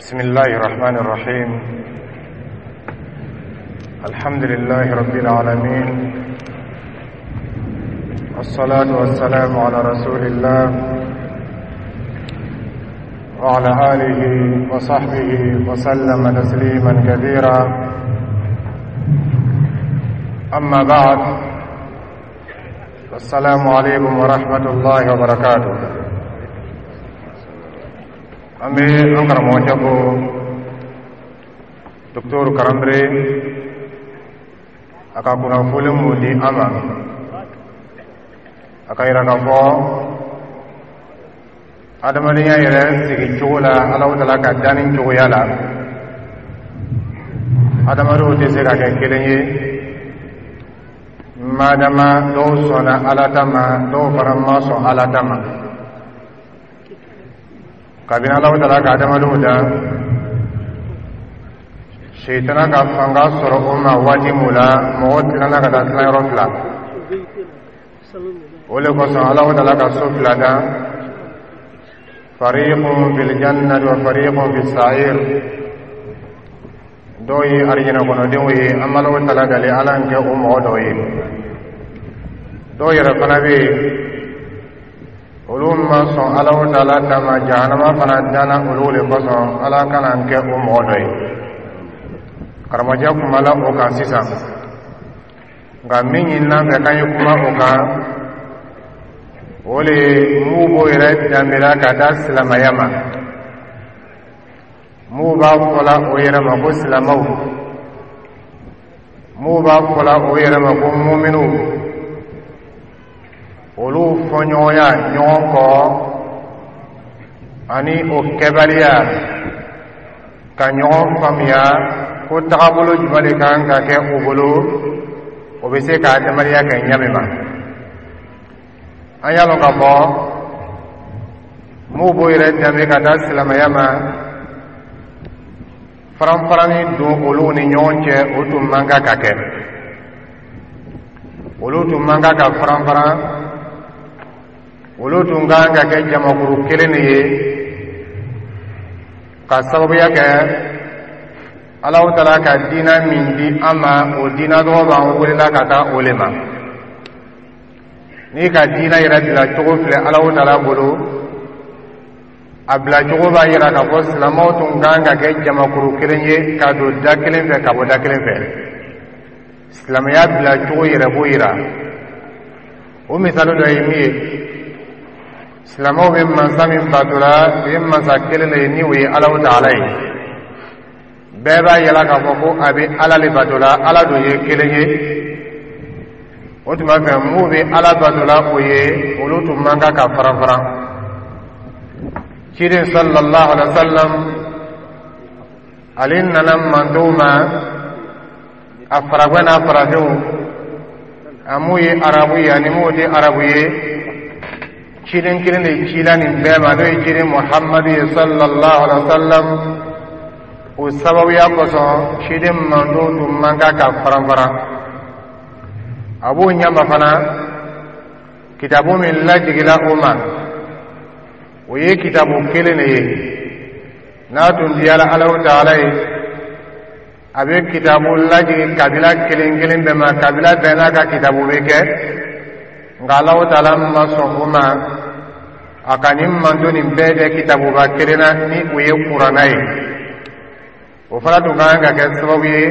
بسم الله الرحمن الرحيم. الحمد لله رب العالمين، والصلاة والسلام على رسول الله وعلى آله وصحبه وسلم تسليما كثيرا. أما بعد، السلام عليكم ورحمة الله وبركاته. An bɛ an karamɔgɔcɛ ko Docteur Karanbere, a ka kunnafoni mun di an ma, a ka yira k'a fɔ adamadenya yɛrɛ sigi cogo la, Alahu Taala ka danni cogoya la, adamadenw tɛ se ka kɛ kelen ye, madama dɔw sɔnna Ala ta ma, dɔw fana ma sɔn Ala ta ma. Kabini Alahu Taala ka adamadenw dan, Seitana ka fanga sɔrɔ o ma waati mun la, mɔgɔ tilala ka taa tilayɔrɔ fila. O le kosɔn Alahu Taala ka so fila dan: fariqun fil jannati wa fariqun fis sa'ir. Dɔw ye arijinɛ kɔnɔdenw ye, an b'Alahu Taala dali Ala kɛ o mɔgɔ dɔw ye. Dɔw yɛrɛ fana bɛ yen, olu ma sɔn Alahu Taala ta ma, jahanama fana danna olu le kosɔn. Ala kana kɛ o mɔgɔ dɔ ye. Karamɔgɔcɛ kumala o kan sisan, nka min ɲinina fɛ k'an ye kuma o kan, o le ye m'u b'o yɛrɛ danbela ka taa silamɛya ma, m'u b'a fɔla o yɛrɛ ma ko silamɛw, m'u b'a fɔla o yɛrɛ ma ko muminiw, olu fɔɲɔgɔnya ɲɔgɔn kɔ ani o kɛbaliya ka ɲɔgɔn faamuya ko tagabolo jumɛn de kan ka kɛ u bolo, o bɛ se ka adamadenya kɛ ɲa min ma. An y'a lɔn k'a fɔ m'u b'o yɛrɛ danbe ka taa silamɛya ma, faranfarani don olu ni ɲɔgɔn cɛ, o tun man kan ka kɛ. Olu tun man kan ka faranfaran, olu tun kan ka kɛ jamakuru kelen de ye, ka sababuya kɛ Alahu Taala ka diina min di an ma, o diina tɔgɔ b'an welela ka taa o le ma. N'i ka diina yɛrɛ bila cogo filɛ Alahu Taala bolo, a bila cogo b'a yira k'a fɔ silamɛw tun kan ka kɛ jamakuru kelen ye, ka don da kelen fɛ, ka bɔ da kelen fɛ. Silamɛya bila cogo yɛrɛ b'o yira. O misali dɔ ye min ye, silamɛw bɛ mansa min batola, o ye mansa kelen de ye, ni o ye Alahu Taala ye. Bɛɛ b'a yala k'a fɔ ko a bɛ Ala le batola, Ala dun ye kelen ye. O tuma fɛ, m'u bɛ Ala batola, o ye olu tun man kan ka faran faran. Ciden sallallahu alaihi wa sallam, ale nana mantonw ma, a faragwɛ n'a farafinw, a m'u ye arabu ye ani m'u tɛ arabu ye, ciden kelen de cila nin bɛɛ ma, n'o ye ciden Muhammadu ye sallallahu alaihi wa sallam. O sababuya kosɔn, ciden mantonw tun man kan ka faran faran. A b'o ɲɛma fana, kitabu min lajigila o ma, o ye kitabu kelen de ye. N'a tun diyara Alahu Taala ye, a bɛ kitabu lajigin kabila kelen kelen bɛɛ ma, kabila bɛɛ n'a ka kitabu bɛ kɛ. Nka Alahu Taala ma sɔn o ma, a ka nin manton nin bɛɛ kɛ kitabuba kelen na, ni o ye Kuranna ye. O fana tun ka kan ka kɛ sababu ye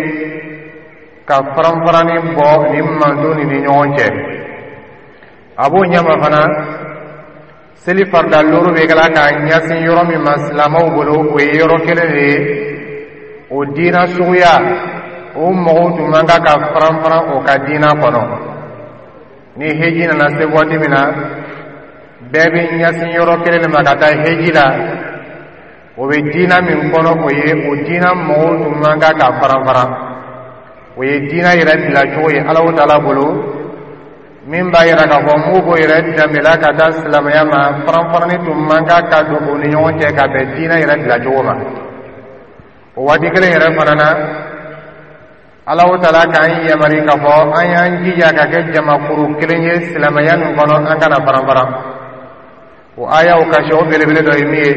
ka faranfaranni bɔ nin manton nin ni ɲɔgɔn cɛ. A b'o ɲɛma fana, seli farida looru bɛ kɛla k'a ɲɛsin yɔrɔ min ma silamɛw bolo, o ye yɔrɔ kelen de ye. O diina suguya, o mɔgɔw tun man kan ka faranfaran o ka diina kɔnɔ. Ni heji nana se waati min na, bɛɛ bɛ ɲɛsin yɔrɔ kelen de ma ka taa heji la. O bɛ diina min kɔnɔ, o ye o diina mɔgɔw tun man kan ka faranfaran. O ye diina yɛrɛ bilacogo ye Alahu Taala bolo, min b'a yira k'a fɔ m'u b'o yɛrɛ danbela ka taa silamɛya ma, faranfaranni tun man kan ka don u ni ɲɔgɔn cɛ ka bɛn diina yɛrɛ bilacogo ma. O waati kelen yɛrɛ fana na, Alahu Taala k'an yamari k'a fɔ an y'an jija ka kɛ jamakuru kelen ye silamɛya nin kɔnɔ, an kana faranfaran. O ayaw kasi, o belebele dɔ ye min ye,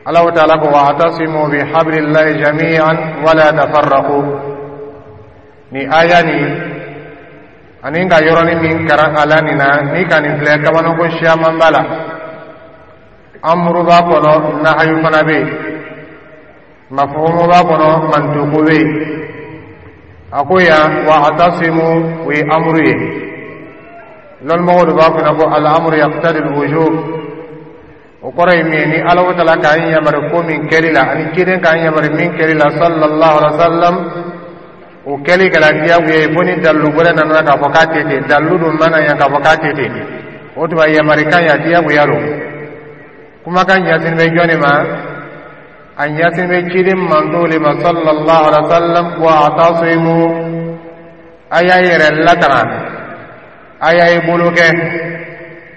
Alahu taala ko: wa'tasimu bi hablillahi jami'an wala tafarraqu. Ni aya nin ani ka yɔrɔnin min karan a la nin na, ni ka nin filɛ, kabanako siyaman b'a la. Amuru b'a kɔnɔ, nahayu fana bɛ yen, mafuhumu b'a kɔnɔ, mantuku bɛ yen. A ko yan wa'tasimu, o ye amuru ye. Lɔnmɔgɔw de b'a fɔ ko al-amru yaqtadi al-wujub. O kɔrɔ ye min ye, ni Alahu taala k'an yamari ko min kɛli la, ani ciden k'an yamari min kɛli la sallallahu alaihi wa sallam, o kɛli kɛra diyagoya ye, fo ni dalilu wɛrɛ nana k'a fɔ k'a tɛ ten. Dalilu dun mana yan k'a fɔ k'a tɛ ten, o tuma yamarikan ya diyagoya don. Kumakan ɲɛsin bɛ jɔn de ma? A ɲɛsin bɛ ciden mantow de ma sallallahu alaihi wa sallam. Wa'tasimu, a y'a yɛrɛ latanga, a y'a ye bolo kɛ,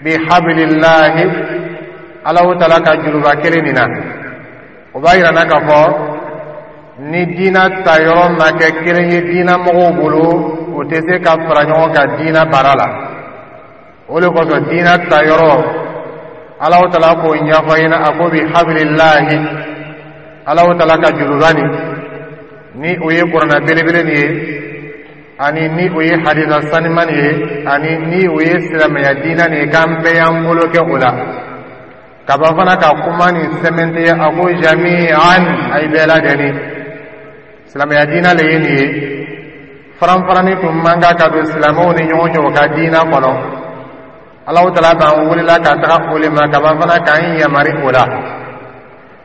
bi hablillahi, Alahu taala ka juruba kelen nin na. O b'a yira na k'a fɔ ni diina ta yɔrɔ ma kɛ kelen ye diina mɔgɔw bolo, o tɛ se ka fara ɲɔgɔn kan diina baara la. O de kosɔn diina ta yɔrɔ, Alahu taala k'o ɲɛfɔ ɲɛna. A ko bi hablillahi, Alahu taala ka juruba nin, ni o ye kuranna belebele nin ye, ani ni o ye hadisa saniman nin ye, ani ni o ye silamɛya diina nin ye, k'an bɛɛ y'an bolo kɛ o la. Kaba fana ka kuma nin sɛmɛntiya, a ko jami'an, a ye bɛɛ lajɛlen. Silamɛya diina le ye nin ye. Faranfarani tun man kan ka don silamɛw ni ɲɔgɔn cɛ o ka diina kɔnɔ. Alahu taala b'an welela ka taga o le ma, kaba fana k'an yamari o la.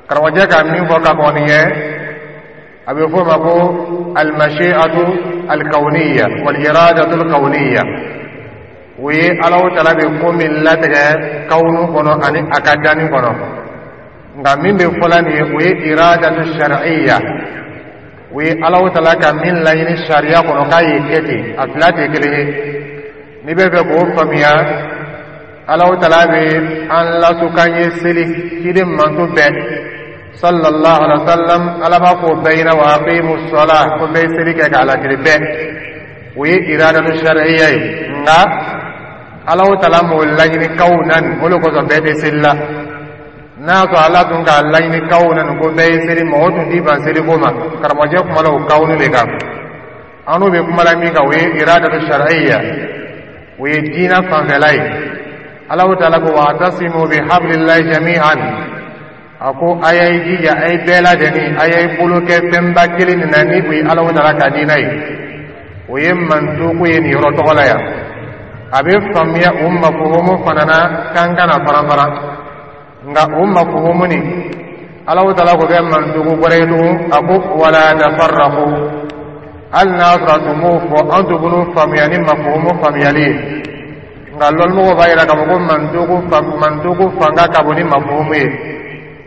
Karamɔgɔcɛ ka min fɔ ka kɔn nin ye, a bɛ fɔ o ma ko almashi'atu alkawniya wal iradatu alkawniya. O ye Alahu taala bɛ ko min latigɛ kawunu kɔnɔ ani a ka danni kɔnɔ. Nka min bɛ fɔla nin ye, o ye iradatu shar'iyya, o ye Alahu taala ka min laɲini sariya kɔnɔ k'a ye kɛ ten. A fila tɛ kelen ye. N'i bɛ fɛ k'o faamuya, Alahu taala bɛ an lasu k'an ye seli, ciden manto bɛɛ sallallahu alaihi wa sallam. Ala b'a fɔ o bɛɛ ɲɛna wa aqimu sɔla, ko bɛɛ ye seli kɛ k'a latiri bɛɛ. O ye iradatu shar'iyya ye. Nka Alahu taala m'o laɲini kawunan, o de kosɔn bɛɛ tɛ seli la. N'a y'a sɔrɔ Ala tun k'a laɲini kawunan ko bɛɛ ye seli, mɔgɔ tun t'i ban seliko ma. Karamɔgɔcɛ kumala o kawunu de kan. An n'o bɛ kuma la min kan, o ye iradatu shar'iyya, o ye diina fanfɛla ye. Alahu taala ko wa'tasimu bi hablillahi jami'an. A ko a y'a jija, a ye bɛɛ lajɛlen, a y'a bolo kɛ fɛnba kelen nin na, ni o ye Alahu taala ka diina ye. O ye mantuku ye nin yɔrɔ tɔgɔ la yan. A bɛ faamuya o mafuhumu fana na k'an kana faran-faran. Nka o mafuhumu nin, Alahu taala ko kɛ mantuku wɛrɛ ye tugun. A ko wala tafarraqu. Hali n'a sɔrɔ a tun m'o fɔ, an tun b'o faamuya ni mafuhumu faamuyali ye. Nka lɔnmɔgɔw b'a yira k'a fɔ ko mantuku fanga ka bon ni mafuhumu ye.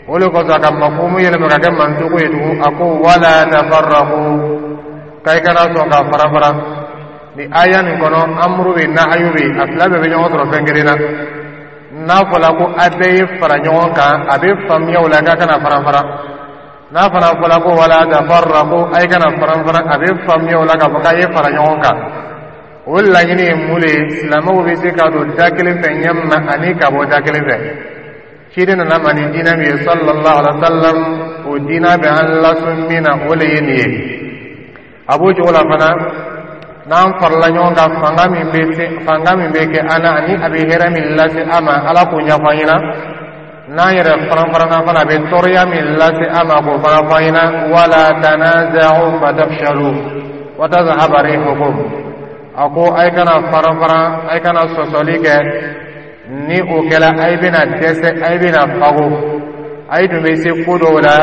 O de kosɔn a ka mafuhumu yɛlɛma ka kɛ mantuku ye tugun. A ko wala tafarraqu, k'a kana sɔn ka fara-fara. Ni aya nin kɔnɔ, amuru bɛ, nahayu bɛ, a fila bɛɛ bɛ ɲɔgɔn sɔrɔ fɛn kelen na. N'a fɔla ko a bɛɛ ye fara ɲɔgɔn kan, a bɛ faamuya o la k'a kana fara-fara. N'a fana fɔla ko wala tafarraqu, a ye kana faran-faran, a bɛ faamuya o la k'a fɔ k'a ye fara ɲɔgɔn kan. O laɲini ye mun de ye? Silamɛw bɛ se ka don da kelen fɛ ɲɛ min na ani ka bɔ da kelen fɛ. Ciden nana ma ni diinɛ min ye sallallahu alaihi wa sallam, o diinɛ bɛ an lasun min na, o de ye nin ye. A b'o cogo la fana, n'an farala ɲɔgɔn kan, fanga min bɛ se, fanga min bɛ kɛ an na, ani a bɛ hɛrɛ min lase an ma, Ala k'o ɲɛfɔ an ɲɛna. N'an yɛrɛ faran-faranna fana, a bɛ tɔɔrɔya min lase an ma, k'o fana fɔ an ɲɛna. Wala tanaza'u fatafshalu wa tazhaba rihukum. A ko a ye kana faran-faran, a ye kana sɔsɔli kɛ. Ni o kɛla, a ye bɛna dɛsɛ, a ye bɛna fago. A ye tun bɛ se ko dɔw la,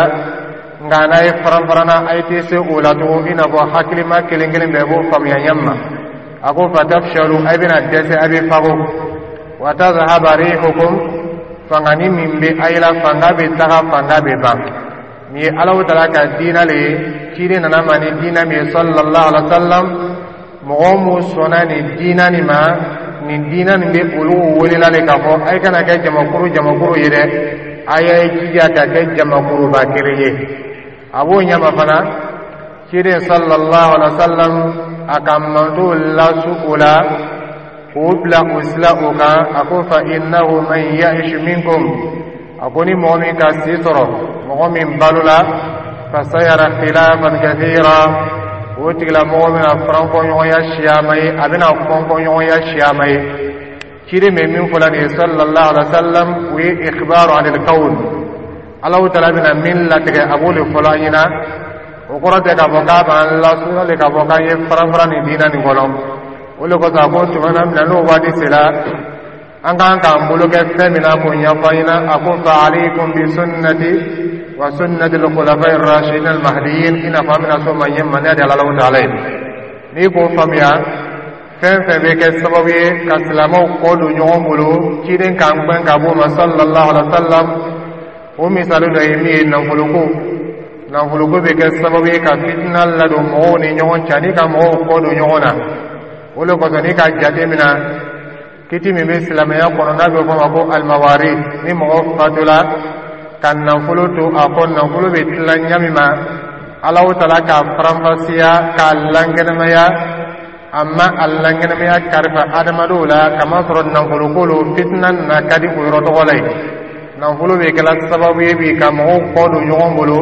nka n'a ye faran-faranna, a ye tɛ se o la tugun, i n'a fɔ hakilima kelen kelen bɛɛ b'o faamuya ɲɛ ma. A ko fatafshalu, a bɛna dɛsɛ, a bɛ fago. Wa tazhaba rihukum, fangani min bɛ a la, fanga bɛ taga, fanga bɛ ban. Nin ye Alahu taala ka diinɛ le ye. Ciden nana ma ni diinɛ min ye sallallahu alaihi wa sallam, mɔgɔ mun sɔnna nin diinɛ nin ma, nin diinɛ nin bɛ olu welela le k'a fɔ a ye kana kɛ jamakuru jamakuru ye dɛ, a y'a jija ka kɛ jamakuruba kelen ye. A b'o ɲɛma fana, ciden sallallahu alaihi wa sallam, a ka mantow lasu o la k'o bila o sila o kan. A ko fa innahu man ya'ish minkum. A ko ni mɔgɔ min ka si sɔrɔ, mɔgɔ min balola, fasayara khilafan kathira, o tigilamɔgɔ bɛna faranfɔɲɔgɔnya siyama ye, a bɛna fɔnfɔɲɔgɔnya siyama ye. Ciden bɛ min fɔla nin ye sallallahu alaihi wa sallam, o ye ikhbaru anil kawn. Alahu Taala bɛna min latigɛ, a b'o de fɔlɔ an ɲɛna. O kɔrɔ tɛ k'a fɔ k'a b'an lasuya le k'a fɔ k'an ye faranfaran nin diinɛ nin kɔnɔ. O de kosɔn a ko tuma na min na n'o waati sera, an kan k'an bolo kɛ fɛn min na, k'o ɲɛfɔ an ɲɛna. A ko fa alaykum bi sunnati wa sunnati al-khulafa'i ar-rashidin al-mahdiyyin. I n'a fɔ an bɛna s'o ma ɲɛ ma ne de Alahu Taala ye. N'i k'o faamuya, fɛn fɛn bɛ kɛ sababu ye ka silamɛw kɔ don ɲɔgɔn bolo, ciden k'an gbɛn ka b'o ma sallallahu alaihi wa sallam. O misali dɔ ye min ye, nafoloko. Nafoloko bɛ kɛ sababu ye ka fitina ladon mɔgɔw ni ɲɔgɔn cɛ ani ka mɔgɔw kɔ don ɲɔgɔn na. O de kosɔn, n'i ka jate minɛ kiti min bɛ silamɛya kɔnɔ n'a bɛ fɔ o ma ko alimawari, ni mɔgɔ fatula ka nafolo to a kɔ, nafolo bɛ tila ɲa min ma, Alahu Taala k'a faranfasiya k'a lankɛnɛmaya. A ma a lankɛnɛmaya karifa adamadenw la, kamasɔrɔ nafoloko lo, fitina na ka di o yɔrɔ tɔgɔ la yen. Nafolo bɛ kɛla sababu ye bi ka mɔgɔw kɔ don ɲɔgɔn bolo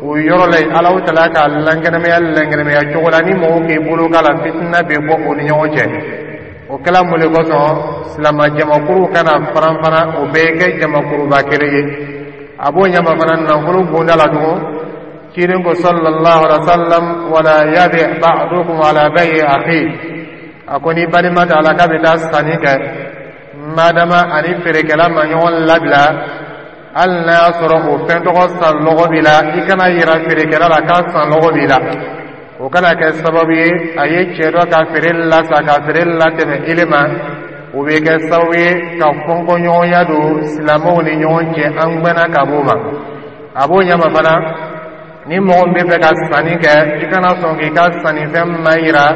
o yɔrɔ la yen. Alahu Taala k'a lankɛnɛmaya lankɛnɛmaya cogo la, ni mɔgɔw k'i bolo k'a la, fitina bɛ bɔ o ni ɲɔgɔn cɛ. O kɛla mun de kosɔn? Silama jamakuru kana faranfaran, o bɛɛ kɛ jamakuruba kelen ye. A b'o ɲɛma fana nafolo bonda la tugun. Ciden ko sallallahu alaihi wa sallam: wala yabi ba'dukum ala bayi akhi. A ko ni balima t'a la k'a bɛ taa sanni kɛ, madama ani feerekɛla ma ɲɔgɔn labila, hali n'a y'a sɔrɔ o fɛn tɔgɔ san lɔgɔ b'i la, i kana yira feerekɛla la k'a san lɔgɔ b'i la. O kana kɛ sababu ye a ye cɛ dɔ ka feere lasa ka feere latɛmɛ ile ma. O bɛ kɛ sababu ye ka fɔnkɔɲɔgɔnya don silamɛw ni ɲɔgɔn cɛ, an gbɛnna ka b'o ma. A b'o ɲɛma fana, ni mɔgɔ min bɛ fɛ ka sanni kɛ, i kana sɔn k'i ka sannifɛn ma yira,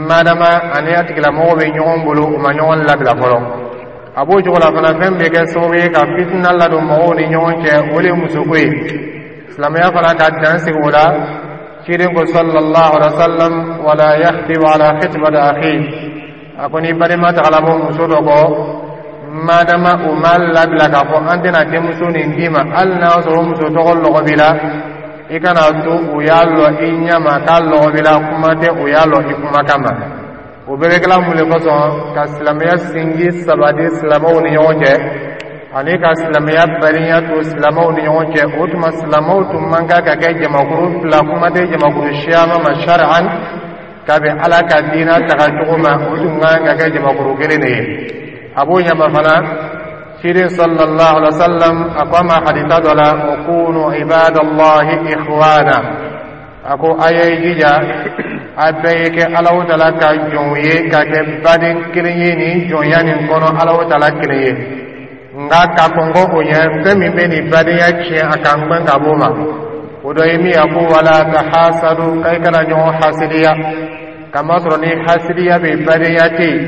madama ani a tigilamɔgɔ bɛ ɲɔgɔn bolo, u ma ɲɔgɔn labila fɔlɔ. A b'o cogo la fana, fɛn bɛ kɛ sababu ye ka fitina ladon mɔgɔw ni ɲɔgɔn cɛ, o de ye musoko ye. Silamɛya fana ka dan sigi o la. Ciden ko sallallahu alaihi wa sallam: wala yakhtibu ala khitbati akhi. A ko ni balima tagala bɔ muso dɔ kɔ, madama u ma labila k'a fɔ an tɛna denmuso nin d'i ma, hali n'a y'a sɔrɔ muso tɔgɔ lɔgɔ b'i la, i kana to u y'a lɔ i ɲɛ ma k'a lɔgɔ b'i la, kuma tɛ u y'a lɔ i kumakan ma. O bɛɛ bɛ kɛla mun de kosɔn? Ka silamɛya sinji sabati silamɛw ni ɲɔgɔn cɛ ani ka silamɛya badenya to silamɛw ni ɲɔgɔn cɛ. O tuma silamɛw tun man kan ka kɛ jamakuru fila, kuma tɛ jamakuru siyaman ma. Sari'an, ka bɛn Ala ka diina taga cogo ma, o tun kan ka kɛ jamakuru kelen de ye. A b'o ɲɛma fana, ciden sallallahu alaihi wa sallam a ko a ma hadisa dɔ la: wa kunu ibadallahi ikhwana. A ko a ye jija, a bɛɛ ye kɛ Alahu Taala ka jɔnw ye, ka kɛ baden kelen ye nin jɔnya nin kɔnɔ, Alahu Taala kelen ye. Nka ka kɔn kɔ o ɲɛ, fɛn min bɛ nin badenya tiɲɛ, a k'an gbɛn ka b'o ma. O dɔ ye min ye, a ko wala tahasadu, k'a kana ɲɔgɔn hasidiya, kamasɔrɔ ni hasidiya bɛ, badenya tɛ yen.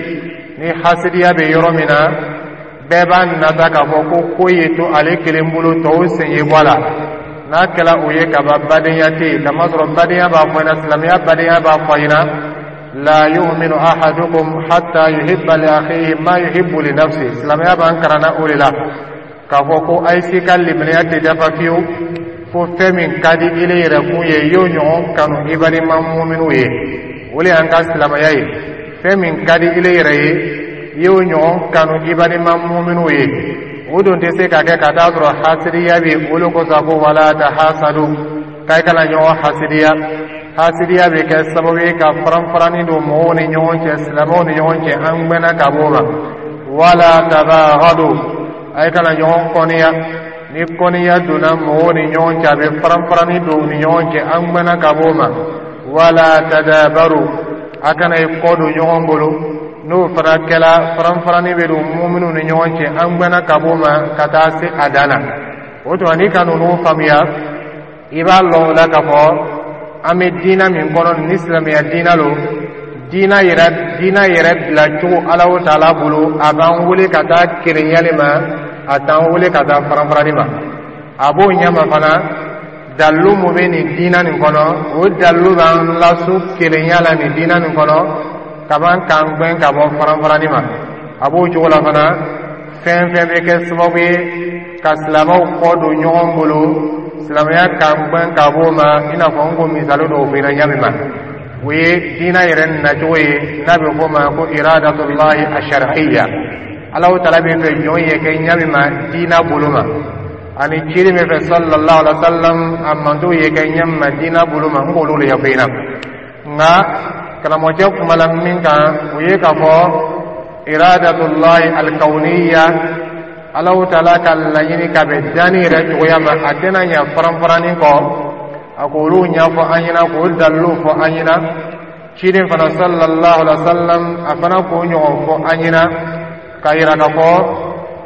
Ni hasidiya bɛ yɔrɔ min na, bɛɛ b'a nata k'a fɔ ko ko ye to ale kelen bolo, tɔw sen ye bɔ a la. N'a kɛla o ye kaban, badenya tɛ yen, kamasɔrɔ badenya b'a fɔ ɲɛna, silamɛya badenya b'a fɔ ɲɛna: la yu'minu ahadukum hatta yuhibba li akhihi ma yuhibbu li nafsi. Silamɛya b'an karanna o de la k'a fɔ ko a ye si ka limaniya tɛ dafa fiyewu fo fɛn min ka di ile yɛrɛ kun ye, i y'o ɲɔgɔn kanu i balima muminiw ye. O de y'an ka silamɛya ye. Fɛn min ka di ile yɛrɛ ye, i y'o ɲɔgɔn kanu i balima muminiw ye. O dun tɛ se ka kɛ ka taa sɔrɔ hasidiya bɛ. O de kosɔn a ko wala tahasadu, k'a kana ɲɔgɔn hasidiya. Hasidiya bɛ kɛ sababu ye ka faranfaranni don mɔgɔw ni ɲɔgɔn cɛ, silamɛw ni ɲɔgɔn cɛ, an gbɛnna ka b'o ma. Wala tabaghadu, a ye kana ɲɔgɔn kɔniya. Ni kɔniya donna mɔgɔw ni ɲɔgɔn cɛ, a bɛ faranfaranni don u ni ɲɔgɔn cɛ, an gbɛnna ka b'o ma. Wala tadabaru, a kana i kɔ don ɲɔgɔn bolo. N'o fana kɛla, faranfaranni bɛ don muminiw ni ɲɔgɔn cɛ, an gbɛnna ka b'o ma ka taa se a dan na. O tuma n'i ka ninnu faamuya, i b'a lɔn o la k'a fɔ an bɛ diina min kɔnɔ ni silamɛya diina lo. Diina yɛrɛ bila cogo Alahu Taala bolo, a b'an wele ka taa kelenya de ma, a t'an wele ka taa faranfarani ma. A b'o ɲɛma fana, dalilu mun bɛ nin diina nin kɔnɔ, o dalilu b'an lasu kelenya la nin diina nin kɔnɔ kaban k'an gbɛn ka bɔ faranfarani ma. A b'o cogo la fana, fɛn fɛn bɛ kɛ sababu ye Ka silamɛw kɔ don ɲɔgɔn bolo, silamɛya k'an gbɛn ka b'o ma, i n'a fɔ n ko misali dɔw f'i ɲɛna ɲa min ma, o ye diinɛ yɛrɛ nacogo ye n'a bɛ fɔ o ma ko iradatullahi ashar'iyya. Alahu Taala bɛ fɛ jɔn ye kɛ ɲa min ma diinɛ bolo ma, ani ciden bɛ fɛ sallallahu alaihi wa sallam a mantow ye kɛ ɲa min ma diinɛ bolo ma, n k'olu de ɲɛfɔ i ɲɛna. Nka karamɔgɔcɛ kumala min kan, o ye k'a fɔ iradatullahi alkauniya, Alahu Taala ka laɲini ka bɛn danni yɛrɛ cogoya ma, a tɛna ɲɛ faranfaranni kɔ. A k'olu ɲɛfɔ an ɲɛna, k'o daliluw fɔ an ɲɛna. Ciden fana sallallahu alaihi wa sallam, a fana k'o ɲɔgɔn fɔ an ɲɛna, k'a yira k'a fɔ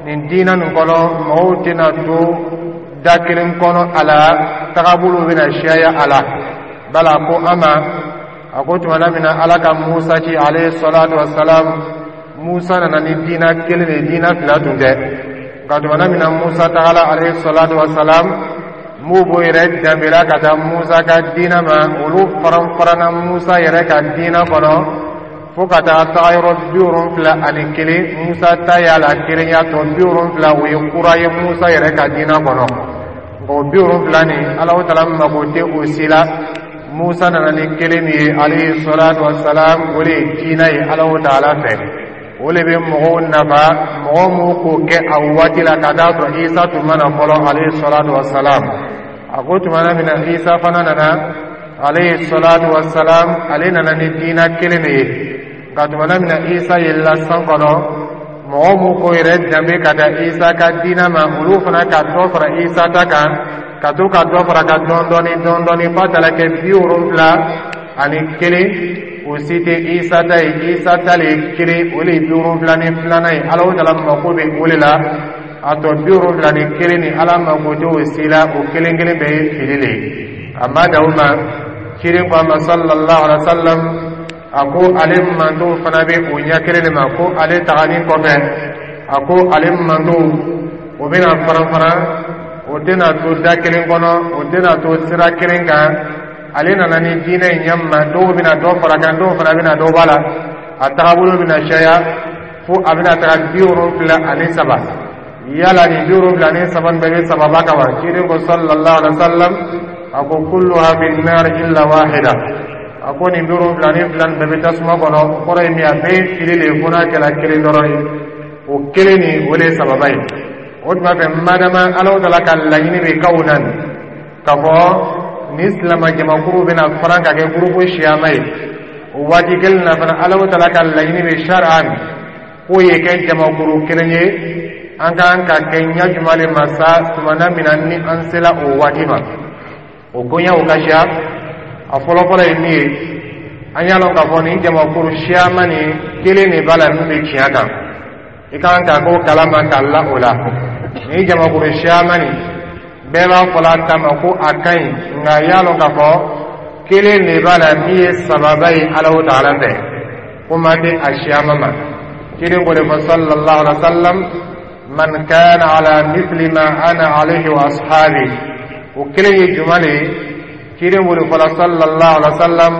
nin diinɛ nin kɔnɔ, mɔgɔw tɛna to da kelen kɔnɔ a la, tagabolo bɛna siyaya a la. Bala ko an ma, a ko tumana min na Ala ka Musa ci alayhi salatu wasalam, Musa nana ni diina kelen de ye, diina fila tun tɛ. Nka tumana min na Musa tagala alayhi salatu wasalam, m'u b'o yɛrɛ danbela ka taa Musa ka diina ma, olu faranfaranna Musa yɛrɛ ka diina kɔnɔ fo ka taa taga yɔrɔ 71. Musa ta y'a la kelenya, tɔ 70, o ye kura ye Musa yɛrɛ ka diina kɔnɔ. Nka o 70 nin, Alahu Taala mago tɛ o si la. Musa nana ni kelen min ye alayhi salatu wasalam, o de ye diina ye Alahu Taala fɛ, o de bɛ mɔgɔw nafa. Mɔgɔ m'u k'o kɛ a waati la ka taa sɔrɔ Isa tun ma na fɔlɔ alayhi salatu wasalam. A ko tumana min na Isa fana nana alayhi salatu wasalam, ale nana ni diina kelen de ye. Nka tumana min na Isa yɛlɛla san kɔnɔ, mɔgɔ m'u k'o yɛrɛ danbe ka taa Isa ka diina ma, olu fana ka dɔ fara Isa ta kan, ka to ka dɔ fara ka dɔɔni dɔɔni dɔɔni dɔɔni f'a taara kɛ 71. O si tɛ Isa ta ye. Isa ta le ye kelen, o le ye 72nan ye. Alahu Taala mako bɛ o de la. A tɔ 71 nin, Ala mako tɛ o si la, o kelen kelen bɛɛ ye fili le ye. A ma dan o ma, ciden ko a ma sallallahu alaihi wa sallam, a ko ale mantow fana bɛ o ɲɛ kelen de ma, ko ale taganin kɔfɛ, a ko ale mantow o bɛna faran faran, o tɛna to da kelen kɔnɔ, o tɛna to sira kelen kan. Ale nana ni diinɛ in ɲɛ ma, dɔw bɛna dɔ fara kan, dɔw fana bɛna dɔ b'a la, a tagabolo bɛna caya fo a bɛna taga 73. Yala nin 73 nin bɛɛ bɛ sababa kan wa? Ciden ko sallallahu alaihi wa sallam, a ko kulluha fi nar illa wahida. A ko nin 72 nin bɛɛ bɛ tasuma kɔnɔ. O kɔrɔ ye min ye, a bɛɛ ye fili de ye fo n'a kɛra kelen dɔrɔn ye. O kelen nin, o de ye sababa ye. O tuma fɛ, madama Alahu Taala ka laɲini bɛ kaw na k'a fɔ ni silama jamakuru bɛna faran ka kɛ gurupu siyama ye, o waati kelen na fana, Alahu Taala ka laɲini bɛ sariya k'o ye kɛ jamakuru kelen ye. An kan ka kɛ ɲɛ jumɛn de ma sa tumana min na ni an sela o waati ma? O koɲɛw ka siya. A fɔlɔfɔlɔ ye min ye, an y'a lɔn k'a fɔ nin jamakuru siyama nin, kelen de b'a la min bɛ tiɲɛ kan. I kan ka k'o kalama ka la o la. Nin jamakuru siyama nin, bɛɛ b'a fɔla a ta ma ko a ka ɲi, nka i y'a lɔn k'a fɔ kelen de b'a la min ye sababa ye Alahu Taala fɛ, kuma tɛ a siyama ma. Ciden ko de fɔ sallallahu alaihi wa sallam, man kana ala mithli ma ana alayhi wa ashabi. O kelen ye jumɛn de ye? Ciden b'o de fɔla sallallahu alaihi wa sallam,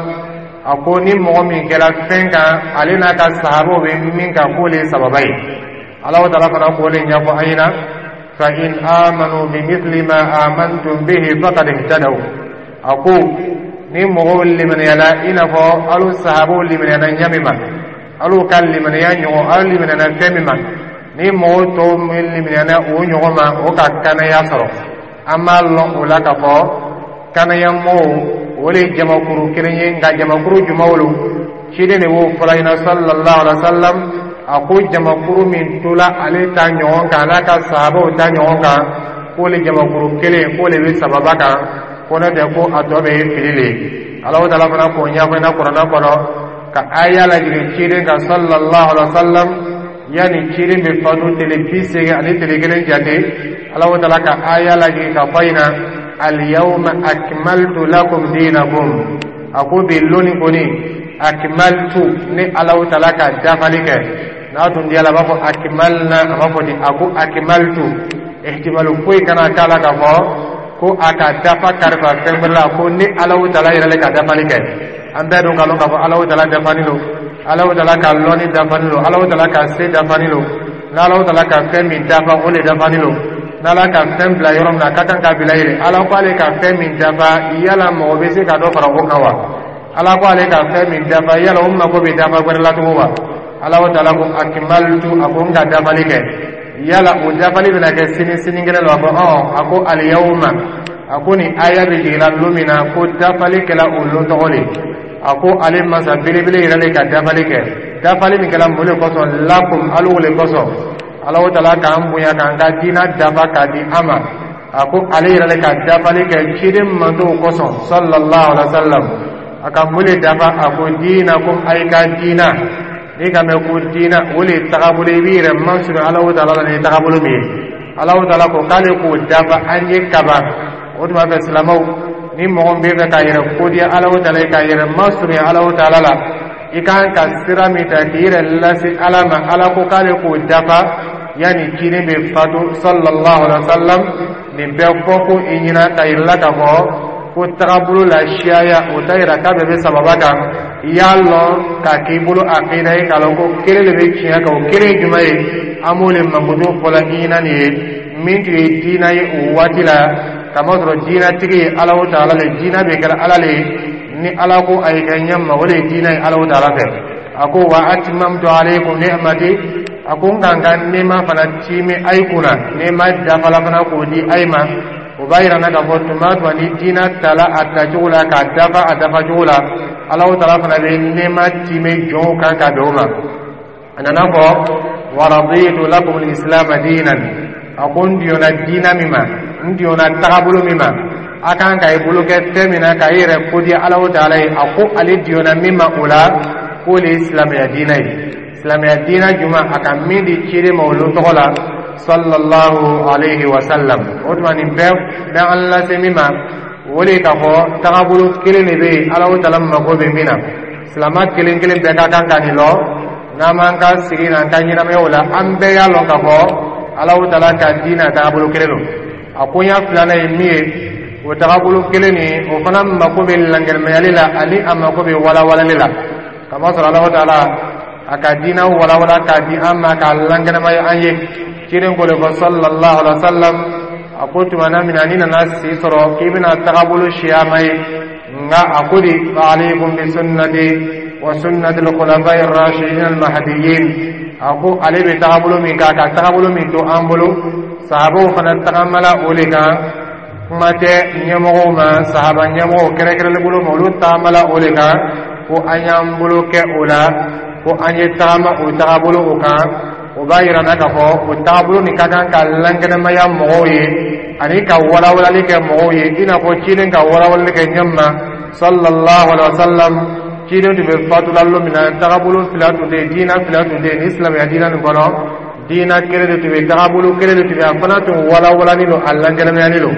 a ko ni mɔgɔ min kɛra fɛn kan, ale n'a ka sahabaw bɛ min kan, k'o le ye sababa ye. Alahu Taala fana k'o de ɲɛfɔ an ɲɛna, fa in amanu bimithli ma amantum bihi faqad ihtadaw. A ko ni mɔgɔw limaniyala i n'a fɔ alu sahabaw limaniyana ɲa min ma, alu ka limaniya ɲɔgɔn, alu limaniyana fɛn min ma, ni mɔgɔw tɔw min limaniyana o ɲɔgɔn ma, o ka kanaya sɔrɔ. An b'a lɔn o la k'a fɔ kanaya mɔgɔw, o de ye jamakuru kelen ye. Nka jamakuru jumɛnw lo? Ciden de b'o fɔla ɲɛna sallallahu alaihi wa sallam, a ko jamakuru min tola ale ta ɲɔgɔn kan, n'a ka sahabaw ta ɲɔgɔn kan, k'o le jamakuru kelen, k'o le bɛ sababa kan, ko n'o tɛ, ko a tɔ bɛɛ ye fili le ye. Alahu Taala fana k'o ɲɛfɔ ɲɛna Kuranɛ kɔnɔ, ka aya lajigin ciden kan sallallahu alaihi wa sallam, yanni ciden bɛ fatu tele 81 jate. Alahu Taala ka aya lajigin ka fɔ a ɲɛna, alyawma akmaltu lakum dinakum. A ko bi loni kɔni, akmaltu, ne Alahu Taala ka dafali kɛ. N'a tun diyala, a b'a fɔ akmalna, a b'a fɔ ten. A ko akmaltu, ihtimalu foyi kana k'a la k'a fɔ ko a ka dafa karifa fɛn wɛrɛ la. Ko ne Alahu Taala yɛrɛ le ka dafali kɛ. An bɛɛ dun ka lɔn k'a fɔ Alahu Taala dafani lo, Alahu Taala ka lɔnni dafani lo, Alahu Taala ka se dafani lo. N'Alahu Taala ka fɛn min dafa, o le dafani lo. N'Ala ka fɛn bila yɔrɔ min na, a ka kan ka bila yen. Ala ko ale ka fɛn min dafa, yala mɔgɔ bɛ se ka dɔ fara o kan wa? Ala ko ale ka fɛn min dafa, yala o mako bɛ dafa wɛrɛ la tugun wa? Ala taala ko akmaltu, a ko n ka dafali kɛ. Yala o dafali bɛna kɛ sini, sinikɛnɛ la? A ko ɔn, a ko aliyawma, a ko nin aya bɛ jiginna lon min na, ko dafali kɛla o lon tɔgɔ de. A ko ale masa belebele yɛrɛ le ka dafali kɛ. Dafali min kɛla mun de kosɔn? Lakum, alu le kosɔn. Ala taala k'an bonya, k'an ka diina dafa k'a di an ma. A ko ale yɛrɛ le ka dafali kɛ ciden mantow kosɔn, sallallahu alaihi wa sallam. A ka mun de dafa? A ko diinakum, a ye ka diina. N'i ka mɛn ko diina, o le ye tagabolo, i b'i yɛrɛ masuru Ala taala la ni tagabolo min ye. Ala taala ko k'ale k'o dafa an ye kaban. O tuma fɛ, silamɛw, ni mɔgɔ min bɛ fɛ k'a yɛrɛ kodiya Ala taala ye, k'a yɛrɛ masurunya Ala taala la, i kan ka sira min ta k'i yɛrɛ lase Ala ma, Ala ko k'ale k'o dafa yanni ciden bɛ fatu, sallallahu alaihi wa sallam. Nin bɛɛ fɔ ko i ɲɛna ka yira la k'a fɔ ko tagabolo la siyaya, o t'a yira k'a bɛɛ bɛ sababa kan. I y'a lɔn k'a k'i bolo akida ye, k'a lɔn ko kelen de bɛ tiɲɛ kan. O kelen ye jumɛn ye? An b'o de mankutu fɔla i ɲɛna nin ye. Min tun ye diina ye o waati la, kamasɔrɔ diinatigi ye Ala taala le, diina bɛ kɛra Ala le ye. Ni Ala ko a ye kɛ ɲɛ ma, o de ye diina ye Ala taala fɛ. A ko wa atmamtu alaykum ni'mati, a ko n ka n ka nɛɛma fana tiimi a ye kunna, nɛɛma dafala fana k'o di a ye ma. O b'a yira n na k'a fɔ tuma tuma ni diina tala a tacogo la, k'a dafa a dafa cogo la, Ala taala fana bɛ nɛɛma tiimi jɔnw kan ka bɛn o ma. A nana fɔ wa raditu lakum al-islam diinan, a ko n diyɔnna diina min ma, n diyɔnna tagabolo min ma, a kan ka i bolo kɛ fɛn min na ka i yɛrɛ kodiya Ala taala ye, a ko ale diyɔnna min ma o la, k'o le ye silamɛya diina ye. Silamɛya diina jumɛn? A ka min di ciden ma olu tɔgɔ la, sallallahu alayhi wa sallam. O tuma, nin bɛɛ bɛ an lase min ma, o de ye k'a fɔ tagabolo kelen de bɛ yen, Ala taala mako bɛ min na. Silama kelen kelen bɛɛ ka kan ka nin lɔn. N'an m'an ka sigi n'an ka ɲɛnamayaw la, an bɛɛ y'a lɔn k'a fɔ Ala taala ka diina tagabolo kelen don. A koɲa filanan ye min ye, o tagabolo kelen nin, o fana mako bɛ lankɛnɛmayali la ani a mako bɛ walawalali la, kamasɔrɔ Ala taala a ka diina walawala k'a di an ma, k'a lankɛnɛmaya an ye. Ciden ko de fɔ, sallallahu alaihi wa sallam, a ko tumana min na n'i nana si sɔrɔ k'i bɛna tagabolo siyama ye, nka a ko di fa alaykum bi sunnati wa sunnati al-khulafai ar-rashidin al-mahdiyyin. A ko ale bɛ tagabolo min kan, ka tagabolo min to an bolo, sahabaw fana tagamala o de kan. Kuma tɛ ɲɛmɔgɔw ma, sahaba ɲɛmɔgɔw kɛrɛnkɛrɛnlen bolo ma, olu tagamala o de kan, ko an y'an bolo kɛ o la, ko an ye tagama o tagabolo o kan. O b'a yira n na k'a fɔ o tagabolo nin ka kan ka lankɛnɛmaya mɔgɔw ye ani ka walawalali kɛ mɔgɔw ye, i n'a fɔ ciden ka walawalali kɛ ɲɛ ma, sallallahu alaihi wa sallam. Ciden tun bɛ fatula lon min na, tagabolo fila tun tɛ yen, diina fila tun tɛ yen. Ni silamɛya diina nin kɔnɔ, diina kelen de tun bɛ, tagabolo kelen de tun bɛ, a fana tun walawalani don, a lankɛnɛmayani don.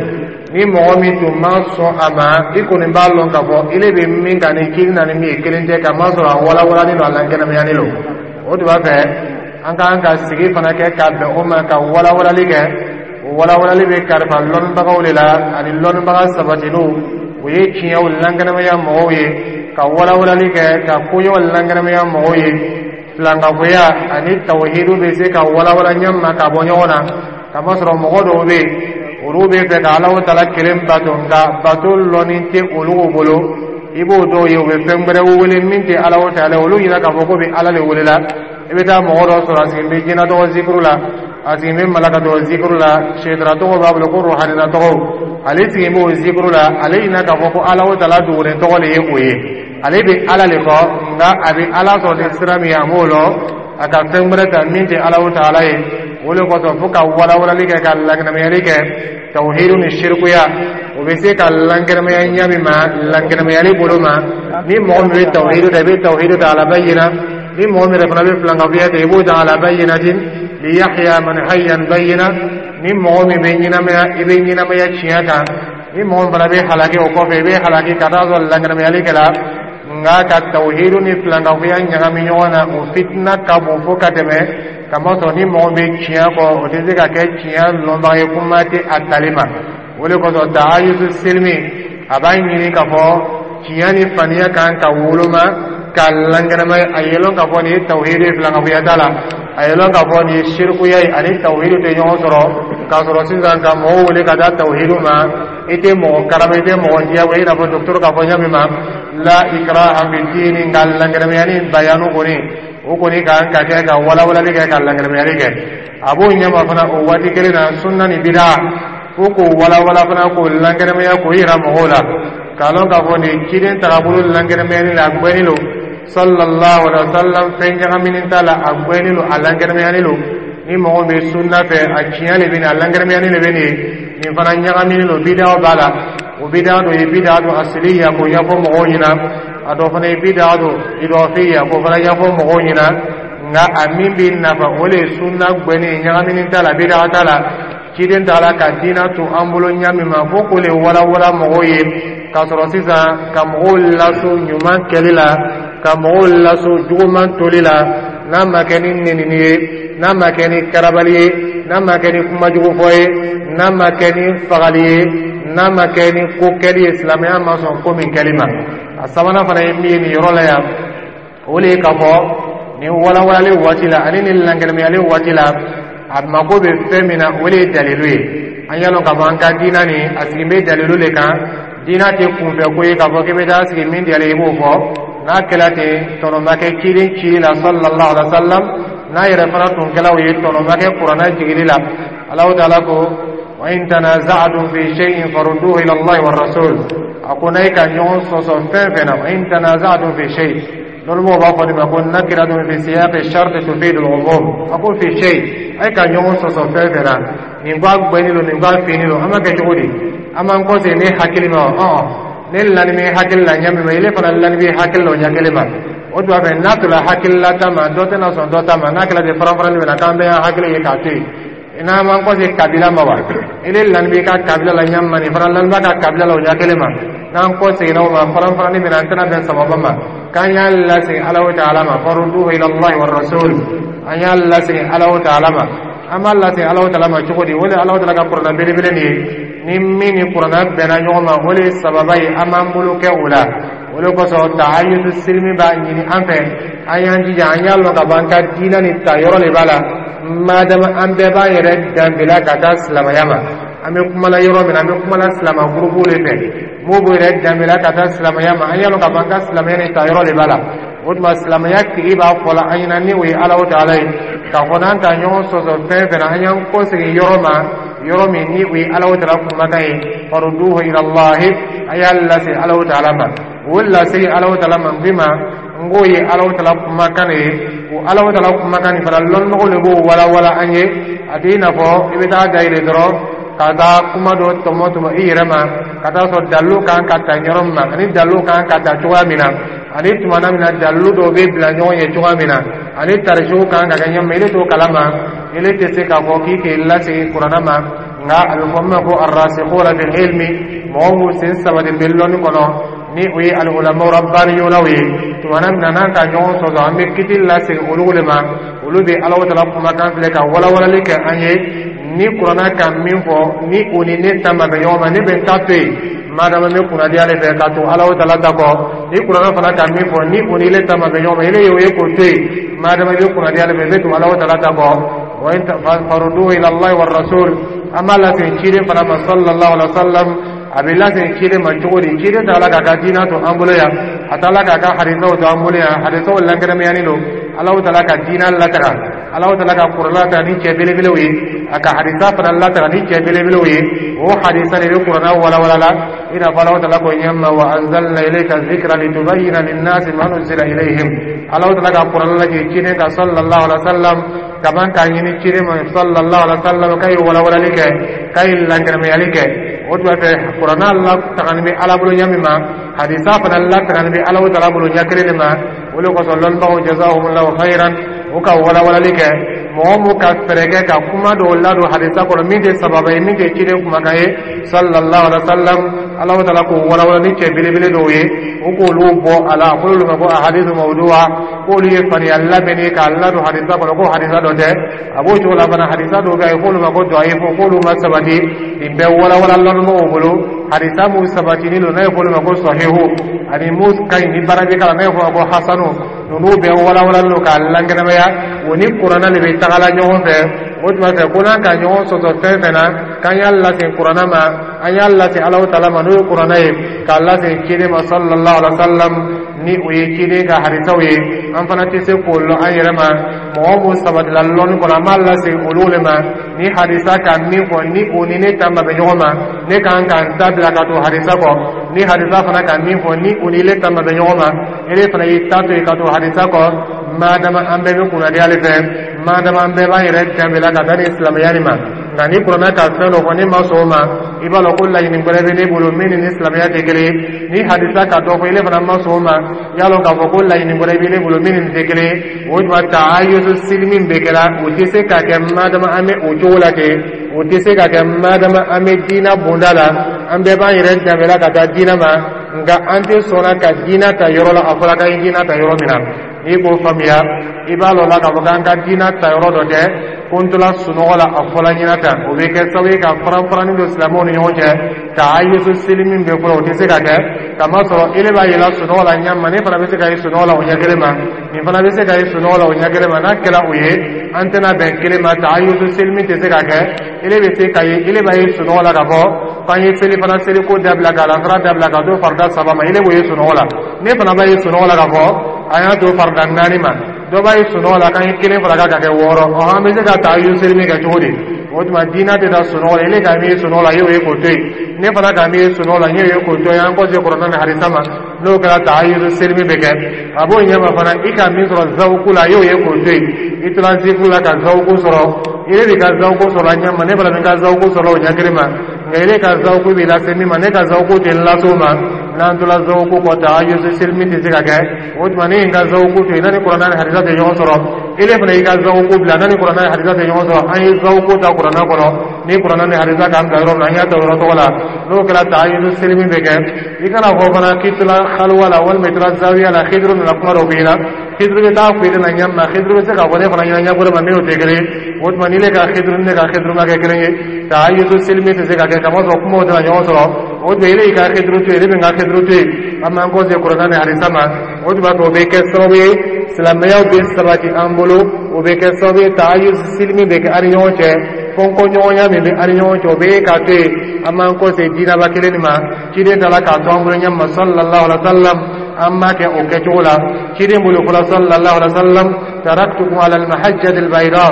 Ni mɔgɔ min tun ma sɔn a ma, i kɔni b'a lɔn k'a fɔ ile bɛ min kan ni ciden na ni min ye kelen tɛ, k'a masɔrɔ a walawalani don, a lankɛnɛmayani don. O tun b'a fɛ an ka kan ka sigi fana kɛ ka bɛn o ma, ka walawalali kɛ. O walawalali bɛ kalifa lɔnnibagaw de la ani lɔnnibaga sabatilenw, o ye tiɲɛw lankɛnɛmaya mɔgɔw ye, ka walawalali kɛ, ka koɲɛw lankɛnɛmaya mɔgɔw ye. Filankafoya ani tawhidu bɛ se ka walawala ɲɛ ma ka bɔ ɲɔgɔn na, kamasɔrɔ mɔgɔ dɔw bɛ yen, olu bɛ fɛ ka Alahu taala kelen bato, nka bato lɔnni tɛ olu bolo. I b'o dɔw ye, u bɛ fɛn wɛrɛ wele min tɛ Alahu taala, olu ɲinɛ k'a fɔ ko bɛ Ala de wele la. I bɛ taa mɔgɔ dɔ sɔrɔ, a sigilen bɛ jinɛ tɔgɔ zikuru la, a sigilen bɛ malaka tɔgɔ zikuru la, sɛtara tɔgɔ b'a bolo ko ruhanina tɔgɔw, ale sigilen b'o zikuru la. Ale ɲinɛ k'a fɔ ko Alahu taala dogolen tɔgɔ de ye o ye. Ale bɛ Ala le kɔ, nka a bɛ Ala sɔrɔ ni sira min ye, a m'o lɔn, a ka fɛn wɛrɛ ta min tɛ Alahu taala ye. O de kosɔn, fo ka walawalali kɛ, ka lankɛnɛmayali kɛ. Tawhidu ni shirikuya, o bɛ se ka lankɛnɛmaya ɲɛ min ma, lankɛnɛmayali bolo ma, ni mɔgɔ min bɛ tawhidu ta, i bɛ tawhidu ta ala bayyina. Ni mɔgɔ min yɛrɛ fana bɛ filankafoya ta, i b'o ta ala bayyinatin li yahya man hayya an bayyina. Ni mɔgɔ min bɛ ɲɛnamaya, i bɛ ɲɛnamaya tiɲɛ kan. Ni mɔgɔ min fana bɛ halaki o kɔfɛ, i bɛ halaki ka taa sɔrɔ lankɛnɛmayali kɛla. Nka ka tawhidu ni filankafoya ɲagami ɲɔgɔn na, o fitina ka bon fo ka tɛmɛ, kamasɔrɔ ni mɔgɔ bɛ tiɲɛ kɔ, o tɛ se ka kɛ tiɲɛ lɔnbaga ye, kuma tɛ a tali ma. O de kosɔn, ta'ayusu silimi, a b'a ɲini k'a fɔ tiɲɛ ni faniya kan ka woloma ka lankɛnɛmaya. A ye lɔn k'a fɔ nin ye tawhidu ye, filankafoya t'a la. A ye lɔn k'a fɔ nin ye shirikuya ye, ani tawhidu tɛ ɲɔgɔn sɔrɔ. K'a sɔrɔ sisan ka mɔgɔw wele ka taa tawhidu ma, i tɛ mɔgɔ karaba, i tɛ mɔgɔ diyagoya, i n'a fɔ docteur k'a fɔ ɲa min ma la ikraha fi dini. Nka lankɛnɛmayani bayanu kɔni, o kɔni kan ka kɛ ka walawalali kɛ, ka lankɛnɛmayali kɛ. A b'o ɲɛma fana o waati kelen na, sunna ni bida, fo k'o walawala fana, k'o lankɛnɛmaya, k'o yira mɔgɔw la, k'a lɔn k'a fɔ nin ciden tagabolo lankɛnɛmayali la, a gbɛni lo, sallallahu alaihi wa sallam, fɛn ɲagaminen t'a la, a gbɛni lo, a lankɛnɛmayali lo. Ni mɔgɔ bɛ sunna fɛ, a tiɲɛ le bɛ nin, a lankɛnɛmayali le bɛ nin ye. Nin fana ɲagaminen lo, bidaw b'a la. O bida dɔ ye bida dɔ asiliya, k'o ɲɛfɔ mɔgɔw ɲɛna. A dɔ fana ye bida dɔ idafiya, k'o fana ɲɛfɔ mɔgɔw ɲɛna. Nka a min bɛ nafa, o le ye sunna gbɛni, ɲagaminen t'a la, bida t'a la. Ciden t'a la ka diina to an bolo ɲa min ma, fo k'o le walawala mɔgɔw ye, k'a sɔrɔ sisan ka mɔgɔw laso ɲuman kɛli la, ka mɔgɔw laso juguman toli la, n'a ma kɛ ni nenini ye, n'a ma kɛ ni karabali ye, n'a ma kɛ ni kumajugu fɔ ye, n'a ma kɛ ni fagali ye, n'a ma kɛ ni ko kɛli ye silamɛya ma sɔn ko min kɛli ma. A sabanan fana ye min ye nin yɔrɔ la yan, o le ye k'a fɔ nin walawalali waati la ani nin lankɛnɛmayali waati la, a mako bɛ fɛn min na, o le ye dalilu ye. An y'a lɔn k'a fɔ an ka diina nin, a sigi bɛ dalilu le kan. Diina tɛ kunfɛ ko ye k'a fɔ k'i bɛ taa sigi min diyara i b'o fɔ. N'a kɛla ten, tɔnɔ ma kɛ ciden cili la, sallallahu alaihi wa sallam. N'a yɛrɛ fana tun kɛla o ye, tɔnɔ ma kɛ kuranɛ jigili la. Alahu taala ko: wa in tanaza'tum fi shay'in farudduhu ila Allahi wa rasul. A ko n'a ye ka ɲɔgɔn sɔsɔ fɛn fɛn na, wa in tanaza'tum fi shay, lɔnnimɔgɔw b'a fɔ nin ma ko nakiratun fi siyaqi sharti tufidu al-umum. A ko fi shay, a ye ka ɲɔgɔn sɔsɔ fɛn fɛn na, nin ko a gbɛni don, nin ko a finni don, an b'a kɛ cogo di? An b'an kɔsegin ne hakili ma wa? Ne lani bɛ hakili la ɲɛ min ma, ile fana lani bɛ hakili la o ɲɛ kelen ma. O tuma fɛ, n'a tola hakilila ta ma, dɔ tɛna sɔn dɔ ta ma. N'a kɛra ten, faranfarali bɛ na, k'an bɛɛ y'an hakili ye k'a to yen. N'an m'an kɔsegin kabila ma wa? Ile lani b'i ka kabila la ɲɛ min ma, nin fana lani b'a ka kabila la o ɲɛ kelen ma. N'an kɔseginna o ma, faranfarali bɛ na, an tɛna bɛn sababa ma. K'an y'a lasegin Alahu taala ma, farudduhu ila Allahi wa rasul. An y'a lasegin Alahu taala ma. An b'a lasegin Alahu taala ma cogo di? O de Alahu taala ka kuranɛ belebele nin ye. Ni min ni kuranɛ bɛnna ɲɔgɔn ma, o de ye sababa ye, an b'an bolo kɛ o la. O de kosɔn ta'ayyudu silimi b'a ɲini an fɛ, an y'an jija, an y'a lɔn ka fɔ an ka diinɛ nin ta yɔrɔ de b'a la. Madama an bɛɛ b'an yɛrɛ danbila ka taa silamɛya ma, an bɛ kumala yɔrɔ min na, an bɛ kumala silama gurupu de fɛ, m'o b'o yɛrɛ danbila ka taa silamɛya ma. An y'a lɔn ka fɔ an ka silamɛya nin ta yɔrɔ de b'a la. O tuma silamɛya tigi b'a fɔ la an ɲɛna, ni o ye Alahu taala ye, k'a fɔ n'an ka ɲɔgɔn sɔsɔ fɛn fɛn na, an y'an kɔsegin yɔrɔ ma, yɔrɔ min ni o ye Alahu taala kumakan ye. Farudduhu ila Allahi, a y'a lase Alahu taala ma. O lasegin Alahu taala ma min ma, n k'o ye Alahu taala kumakan de ye. O Alahu taala kumakan nin fana, lɔnnimɔgɔw de b'o walawala an ye. A tɛ i n'a fɔ i bɛ taa dayɛlɛ dɔrɔn ka taa kuma dɔ tɔmɔ tɔmɔ i yɛrɛ ma, ka taa sɔrɔ dalilu kan ka ta yɔrɔ min ma, ani dalilu kan ka ta cogoya min na, ani tumana min na dalilu dɔw bɛ bila ɲɔgɔn ye cogoya min na, ani tarisiw kan ka kɛ ɲɛ ma, ile t'o kalama, ile tɛ se k'a fɔ k'i k'i lasegin kuranɛ ma. Nka a bɛ fɔ min ma ko arrasikhuna fil ilmi, mɔgɔ minnu sen sabati bɛ lɔnni kɔnɔ, ni o ye al-ulama rabbaniyunaw ye, tumana min na n'an ka ɲɔgɔn sɔsɔ, an bɛ kiti lasegin olu de ma. Olu bɛ Alahu taala kumakan filɛ ka walawalali kɛ an ye. Ni kuranɛ ka min fɔ, ni o ni ne ta ma bɛn ɲɔgɔn ma, ne bɛ n ta to yen, madama n bɛ kunnadiya de fɛ ka to Alahu taala ta kɔ. Ni kuranɛ fana ka min fɔ, ni o ni ile ta ma bɛn ɲɔgɔn ma, ile y'o ye k'o to yen, madama i bɛ kunnadiya de fɛ, i bɛ to Alahu taala ta kɔ. Wa in farudduhu ila Allahi wa rasul, an b'a lasegin ciden fana ma, sallallahu alaihi wa sallam. A bɛ lasegin ciden ma cogo di? Ciden t'a la k'a ka diinɛ to an bolo yan, a t'a la k'a ka hadisaw to an bolo yan. Hadisaw lankɛnɛmayani don. Alahu taala ka diinɛ lataga, Alahu taala ka kuranɛ lataga ni cɛ belebelew ye, a ka hadisa fana lataga ni cɛ belebelew ye. O hadisa de bɛ kuranɛ walawala la, i n'a fɔ Alahu taala ko ɲɛma: wa anzalna ilayka zikra litubayyina linnasi ma nuzila ilayhim. Alahu taala ka kuranɛ lajigin ciden kan, sallallahu alaihi wa sallam, kaban k'a ɲini ciden ma, sallallahu alaihi wa sallam, k'a ye walawalali kɛ, k'a ye lankɛnɛmayali kɛ. O tuma fɛ, kuranɛ latagani bɛ Ala bolo ɲɛ min ma, hadisa fana latagani bɛ Alahu taala bolo ɲɛ kelen de ma. O de kosɔn lɔnnibagaw, jazahumullahu khairan, u ka walawalali kɛ. Mɔgɔ mun ka fɛɛrɛ kɛ ka kuma dɔw ladon hadisa kɔnɔ min tɛ sababa ye, min tɛ ciden kumakan ye, sallallahu alaihi wa sallam, Alahu taala k'o walawala ni cɛ belebele dɔw ye, o k'olu bɔ a la. A fɔra olu ma ko ahadisu mawdu'a, k'olu ye faniya labɛnni k'a ladon hadisa kɔnɔ, ko hadisa dɔ tɛ. A b'o cogo la fana, hadisa dɔw bɛ yen, k'olu ma ko dɔyifu, k'olu ma sabati. Nin bɛɛ walawala lɔnnimɔgɔw bolo. Hadisa mun sabatinin don, n'a ye f'olu ma ko sahihu, ani mun ka ɲi ni baara bɛ k'a la, n'a ye f'o ma ko hasanu, ninnu bɛɛ walawalalen don k'a lankɛnɛmaya. O ni kuranɛ de bɛ tagala ɲɔgɔn fɛ. O tuma fɛ ko n'an ka ɲɔgɔn sɔsɔ fɛn fɛn na, k'an y'a lase Kuranna ma, an y'a lase Alahu Taala ma, n'o ye Kuranna ye, k'a lase ciden ma sallallahu alaihi wa sallam, ni o ye ciden ka hadisaw ye, an fana tɛ se k'o lɔn an yɛrɛ ma. Mɔgɔ mun sabatila lɔnni kɔnɔ, an b'a lase olu le ma. Ni hadisa ka min fɔ, ni o ni ne ta ma bɛn ɲɔgɔn ma, ne kan ka n ta bila ka to hadisa kɔ. Ni hadisa fana ka min fɔ, ni o ni ile ta ma bɛn ɲɔgɔn ma, ele fana y'i ta to yen ka to hadisa kɔ. Madama an bɛɛ bɛ kunnadiya ale fɛ, madama an bɛɛ b'an yɛrɛ danbela ka taa ni silamɛya nin ma. Nka ni Kuranɛ ka fɛn dɔ fɔ, ne ma sɔn o ma, i b'a dɔn ko laɲini wɛrɛ bɛ ne bolo min ni silamɛya tɛ kelen ye. Ni hadisa ka dɔ fɔ, ile fana ma sɔn o ma, i y'a dɔn k'a fɔ ko laɲini wɛrɛ bɛ ne bolo min ni nin tɛ kelen ye. O tuma ta'ayusu silimi bɛ kɛra, o tɛ se ka kɛ madama an bɛ o cogo la ten. O tɛ se ka kɛ madama an bɛ diina bonda la. An bɛɛ b'an yɛrɛ danbela ka taa diina ma, nka an tɛ sɔnna ka diina ta yɔrɔ la a fɔra k'an ye diina ta yɔrɔ min na. N'i k'o faamuya, i b'a lɔn la k'a fɔ k'an ka diina ta yɔrɔ dɔ tɛ ko n tola sunɔgɔ la a fɔla ɲɛna tan. O bɛ kɛ sababu ye ka faran-faranni don silamɛw ni ɲɔgɔn cɛ. Ta'ayusu silimi bɛ fɔlɔ, o tɛ se ka kɛ, kamasɔrɔ ele b'a yela sunɔgɔ la ɲɛ ma, ne fana bɛ se ka ye sunɔgɔ la o ɲɛ kelen ma, nin fana bɛ se ka ye sunɔgɔ la o ɲɛ kelen ma. N'a kɛra o ye, an tɛna bɛn kelen ma. Ta'ayusu silimi tɛ se ka kɛ. Ele bɛ se ka ye, ele b'a ye sunɔgɔ la k'a fɔ k'an ye seli fana seliko dabila, k'a lansara dabila ka to farida saba ma. Ele b'o ye sunɔgɔ la, ne fana b'a ye sunɔgɔ la k'a fɔ an y'a to farida naani ma. Dɔ b'a ye sunɔgɔ la k'an ye kelen fara kan ka kɛ wɔɔrɔ. Ɔ, an bɛ se ka ta'ayusu silimi kɛ cogo di? O tuma diinɛ tɛ taa sunɔgɔ la. Ele ka min ye sunɔgɔ la, e y'o ye k'o to yen. Ne fana ka min ye sunɔgɔ la, n y'o ye k'o to yen. An kɔ se Kuranɛ ni hadisa ma. N'o kɛra, ta'ayusu silimi bɛ kɛ. A b'o ɲɛma fana, i ka min sɔrɔ zawuku la, e y'o ye k'o to yen. I tora zikuru la ka zawuku sɔrɔ, ele b'i ka zawuku sɔrɔ a ɲɛ ma, ne fana bɛ n ka zawuku sɔrɔ o ɲɛ kelen ma. Nka ele ka zawuku b'i lase min ma, ne ka zawuku tɛ n lase o ma. N'an tola zawuku kɔ, ta'ayusu silimi tɛ se ka kɛ. O tuma ne ye n ka zawuku to yen, n'a ni Kuranɛ ni hadisa tɛ ɲɔgɔn sɔrɔ. Ele fana y'i ka zawuku bila, n'a ni Kuranɛ ni hadisa tɛ ɲɔgɔn sɔrɔ. An ye zawuku ta Kuranɛ kɔnɔ. Ni Kuranɛ ni hadisa k'an bila yɔrɔ min na, an y'a ta o yɔrɔ tɔgɔ la. N'o kɛra, ta'ayusu silimi bɛ kɛ. I kana fɔ fana k'i tola haluwa la walima i tola zawiya la, Hidiru nana kuma dɔ f'i ɲɛna. Hidiru bɛ taa fɔ i ɲɛna ɲɛ ma, Hidiru bɛ se k'a fɔ ne fana ɲɛna ɲɛ wɛrɛ ma min n'o tɛ kelen ye. O tuma ni ne ka Hidiru ni ne ka Hidiru ma kɛ kelen ye, ta'ayusu silimi tɛ se ka kɛ, kamasɔrɔ kumaw tɛna ɲɔgɔn sɔrɔ. O tuma ele y'i ka Hidiru to yen, ne bɛ n ka Hidiru to yen, an b'an kɔ se Kuranɛ ni hadisa ma. O tuma o bɛ kɛ sababu ye silamɛyaw bɛ sabati an bolo. O bɛ kɛ sababu ye ta'ayusu silimi bɛ kɛ an ni ɲɔgɔn cɛ. Fɔnkɔɲɔgɔnya min bɛ an ni ɲɔgɔn cɛ, o bɛ k'a to yen. An b'an kɔ se diinaba kelen nin ma. Ciden taara k'a to an bolo ɲɛ ma sallallahu alaihi wa sallam, an b'a kɛ o kɛcogo la. Ciden bolo fɔlɔ sallallahu alaihi wa sallam: taraktukum ala almahajjati albayda.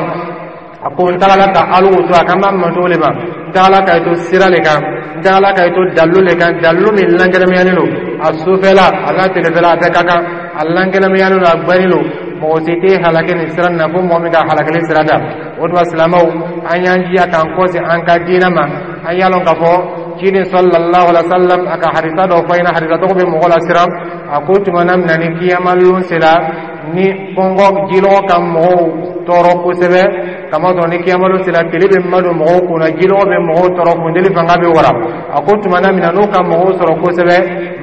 A ko n tagala ka alu to, a kan b'a mantow le ma, n tagala ka to sira le kan, n tagala ka to dalilu le kan, dalilu min lankɛnɛmayalen don. A sufɛla a n'a telefɛla, a bɛɛ ka kan. A lankɛnɛmayalen don, a gbɛnnen don. Mɔgɔ si tɛ halaki nin sira nin na fo mɔgɔ min ka halakili sira ta. O tuma silamɛw, an y'an jija k'an kɔsi an ka diinɛ ma. An y'a lɔn k'a fɔ ciden sallallahu alaihi wa sallam a ka hadisa dɔ fɔ ɲɛna, hadisa tɔgɔ bɛ mɔgɔ lasiran. A ko tuma na min na ni kiyama lon sera, ni kɔngɔ jilɔgɔ ka mɔgɔw tɔɔrɔ kosɛbɛ, kamasɔrɔ ni kiyama lon sera, tile bɛ madon mɔgɔw kunna, jilɔgɔ bɛ mɔgɔw tɔɔrɔ, funteni fanga bɛ wara. A ko tuma na min na n'o ka mɔgɔw sɔrɔ kosɛbɛ,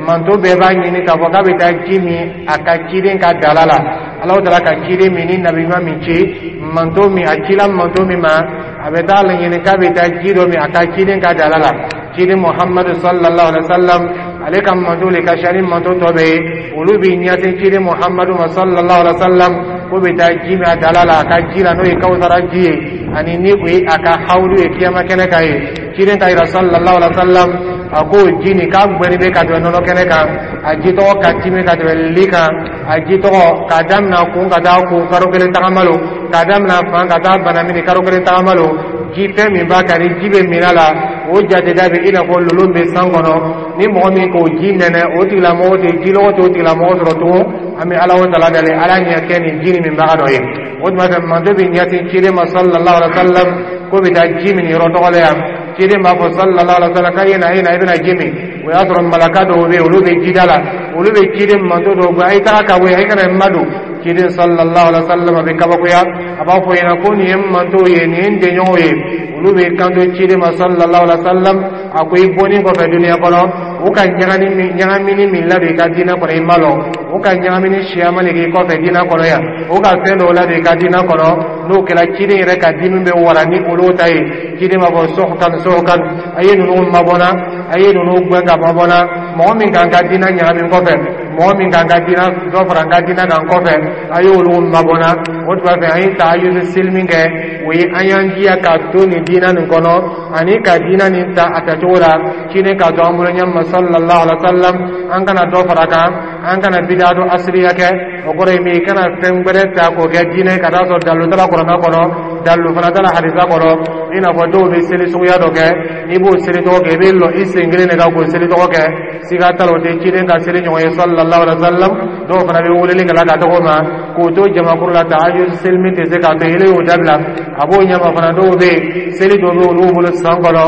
manto bɛɛ b'a ɲini k'a fɔ k'a bɛ taa ji min a ka ciden ka dala la. Alahu Taala ka ciden min ni nabi ɲuman min ci, manto min a cila manto min ma, a bɛ taa laɲini k'a bɛ taa ji dɔ min a ka ciden ka dala la. Ciden Muhammadu sallallahu alaihi wa sallam, ale ka manto le ka siya ni manto tɔ bɛɛ ye. Olu b'i ɲɛsin ciden Muhammadu ma sallallahu alaihi wa sallam k'o bɛ taa ji min a dala la, a ka ji la, n'o ye Kawusara ji ye, ani ni o ye a ka hawulu ye kiyama kɛnɛ kan ye. Ciden ka yira sallallahu alaihi wa sallam, a ko ji nin k'a gbɛni bɛ ka tɛmɛ nɔnɔ kɛnɛ kan, a ji tɔgɔ ka timi ka tɛmɛ li kan, a ji tɔgɔ k'a daminɛ kun ka taa kun karo kelen tagama lo, k'a daminɛ fan ka taa banamini karo kelen tagama lo. Ji fɛn min b'a kan, ni ji bɛ min a la, o jateda bɛ i n'a fɔ lolo bɛ san kɔnɔ. Ni mɔgɔ min k'o ji nɛnɛ, o tigilamɔgɔ tɛ jilɔgɔ t'o tigilamɔgɔ sɔrɔ tugun. An bɛ Ala o Taala dali, Ala ɲɛ kɛ nin ji nin minbaga dɔ ye. O tuma fɛ manto bɛ ɲɛsin ciden ma sallallahu alaihi wa sallam k'o bɛ taa ji min yɔrɔ tɔgɔ la yan. Ciden b'a fɔ sallallahu alaihi wa sallam k'a ye na, e na, i bɛna ji min. O y'a sɔrɔ malaka dɔw bɛ yen, olu bɛ jida la, olu bɛ ciden manto dɔw gɛn: a ye taga ka bɔ yen, a ye kana n madon. Ciden sallallahu alaihi wa sallam a bɛ kabakoya, a b'a fɔ ɲɛna ko nin ye n mantow ye, nin ye n denɲɔgɔnw ye. Olu bɛ kanto ciden ma sallallahu alaihi wa sallam, a ko i bɔni kɔfɛ duniya kɔnɔ, u ka ɲagamini min ladon i ka diinɛ kɔnɔ, i ma lɔn. U ka ɲagamini siyaman de k'i kɔfɛ diinɛ kɔnɔ yan, u ka fɛn dɔw ladon i ka diinɛ kɔnɔ. N'o kɛra, ciden yɛrɛ ka dimi bɛ wara ni olu ta ye. Ciden b'a fɔ: suhkan suhkan, a ye ninnu mabɔna, a ye ninnu gɛn ka mabɔna. Mɔgɔ min k'an ka diinɛ ɲagami kɔfɛ, mɔgɔ Mɔgɔ min kan ka diina dɔ fara n ka diina kan kɔfɛ, a y'olu mabɔnna. O tuma fɛ, an ye tahajjudu seli min kɛ, o ye an y'an jija ka to nin diina nin kɔnɔ ani ka diina nin ta a tacogo la, ciden k'a to an bolo ɲɛ ma, sallallahu alaihi wa sallam. An kana dɔ fara kan, an kana bida dɔ asiriya kɛ. O kɔrɔ ye min ye, i kana fɛn gbɛrɛ ta k'o kɛ diinɛ ka taa sɔrɔ dalilu t'a la Kuranɛ kɔnɔ, dalilu fana t'a la hadisa kɔnɔ. I n'a fɔ dɔw bɛ seli suguya dɔ kɛ, n'i b'o seli tɔgɔ kɛ, i bɛ lɔ i sen kelen de kan k'o seli tɔgɔ kɛ. Siga t'a la, o tɛ ciden ka seli ɲɔgɔn ye, sallallahu alaihi wa sallam. Dɔw fana bɛ weleli kɛ la ka tɔgɔ ma k'o to jamakulu la, tahajjud seli min tɛ se k'a to yen, y'o dabila. A b'o ɲɛma fana, dɔw bɛ yen, seli dɔ bɛ olu bolo san kɔnɔ,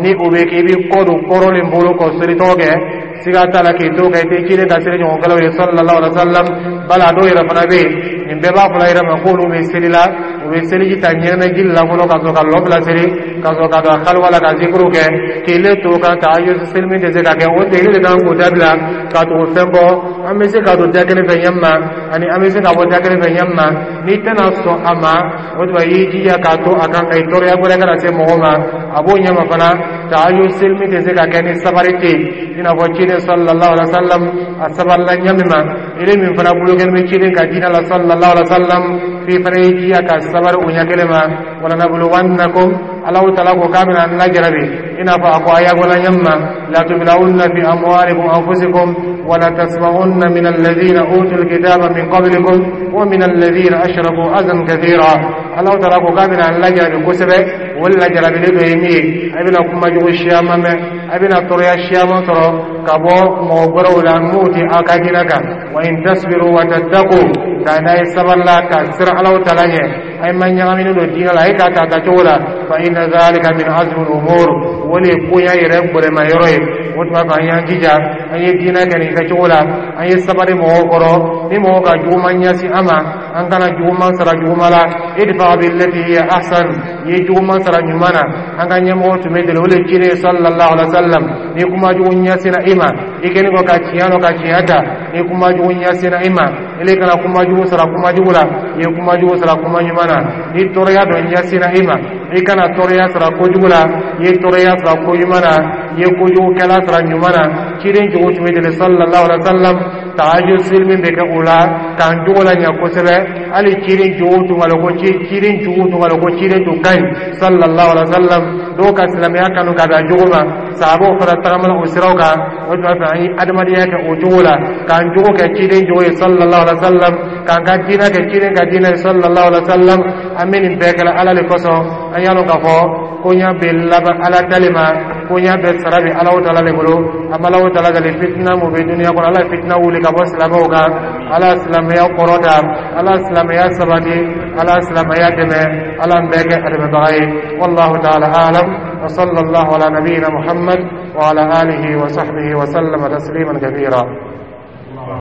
ni o bɛ kɛ, i bɛ kɔ don kɔrɔlen bolo k'o seli tɔgɔ kɛ. Siga t'a la, k'i to kɛ, i tɛ ciden ka seli ɲɔgɔnkɛlaw ye, sallallahu alaihi wa sallam. Bala dɔw yɛrɛ fana bɛ yen, nin bɛɛ b'a fɔla yɛrɛ ma k'olu bɛ seli la, u bɛ seliji ta ɲɛnamɛji la fɔlɔ ka sɔrɔ ka lɔ bila seli, ka sɔrɔ ka don kaliwa la ka zikuru kɛ, k'ile to kan tahajjud seli min tɛ se ka kɛ. O tɛ ile de kan k'o dabila ka tugu fɛn kɔ. An bɛ se ka don da kelen fɛ ɲɛ ma, ani an bɛ se ka bɔ da kelen fɛ ɲɛ ma. N'i tɛna sɔn a ma, o tuma i y'i jija k'a to a kan ka i tɔɔrɔya wɛrɛ kana se mɔgɔ ma. A b'o ɲɛma fana, tahajjud seli min tɛ se ka kɛ ni sabari tɛ yen, i n'a fɔ ciden sallallahu alaihi wa sallam a sabarila ɲɛ min ma, ile min fana bolo kɛlen bɛ ciden ka diinɛ la, sallallahu alaihi wa sallam, f'i fana y'i jija ka sabari o ɲɛ kelen ma. Walanabluwannakum, Alahu taala ko k'a bɛna an lajarabi, i n'a fɔ a ko aya bɔla ɲɛ ma: latublawunna fi amwalikum anfusikum wala tasma'unna min alladhina utul kitaba min qablikum wa min alladhina ashraku azan kathira. Alahu taala ko k'a bɛna an lajarabi kosɛbɛ. O lajarabili dɔ ye min ye, a bɛna kuma jugu siyaman mɛn, a bɛna tɔɔrɔya siyaman sɔrɔ ka bɔ mɔgɔ wɛrɛw la n'o tɛ aw ka diinɛ kan. Wa in tasbiru wa tattaqu, nka n'a ye sabali la ka siran Alahu taala ɲɛ, a ye ma ɲagaminen don diinɛ la, a ye k'a ta a tacogo la, fa inna zalika min azmi al-umur, o de ye koɲa yɛrɛ gbɛrɛma yɔrɔ ye. O tuma fɛ, an y'an jija, an ye diinɛ kɛ nin kɛcogo la, an ye sabali mɔgɔw kɔrɔ. Ni mɔgɔw ka juguman ɲɛsin an ma, an kana juguman sara juguman la. Idfa billati hiya ahsan, i ye juguman sara ɲuman na. An ka ɲɛmɔgɔw tun bɛ deli o le ciden sallallahu alaihi wa sallam. Ni kuma jugu ɲɛsinna i ma, i kɛlen kɔ ka tiɲɛ dɔn ka tiɲɛ ta, ni kuma jugu ɲɛsinna i ma, ile kana kuma jugu sara kuma jugu la, i ye kuma jugu sara kuma ɲuman na. Ni tɔɔrɔya dɔ ɲɛsinna i ma, i kana tɔɔrɔya sara kojugu la, i ye tɔɔrɔya sara ko ɲuman na, i ye kojugukɛla sara ɲuman na. Ciden jogo tun bɛ deli, sallallahu alaihi wa sallam. Tahajjud seli min bɛ kɛ o la k'an jogo la ɲɛ kosɛbɛ. Hali ciden jogo tun ka lɔn ko ciden jugu tun ka lɔn ko ciden tun ka ɲi, sallallahu alaihi wa sallam. Dɔw ka silamɛya kanu ka bɛn a jogo ma, sahabaw fana tagamana o siraw kan. O tuma fɛ, an ye adamadenya kɛ o cogo la, k'an jogo kɛ ciden jogo ye, sallallahu alaihi wa sallam, k'an ka diinɛ kɛ ciden ka diinɛ ye, sallallahu alaihi wa sallam. An bɛ nin bɛɛ kɛla Ala le kosɔn. An y'a lɔn k'a fɔ koɲa bɛ laban Ala tali ma, koɲa bɛɛ sara bɛ Alahu taala le bolo. An bɛ Alahu taala dali, fitina mun bɛ duniya kɔnɔ, Ala ye fitina wuli ka bɔ silamɛw kan. Ala silamɛya kɔrɔta, Ala silamɛya sabati, Ala silamɛya dɛmɛ, Ala bɛɛ kɛ a dɛmɛbaga ye. Wallahu taala alam wa sallallahu ala nabiyyina Muhammad wa ala alihi wa sahbihi wa sallama tasliman kathira.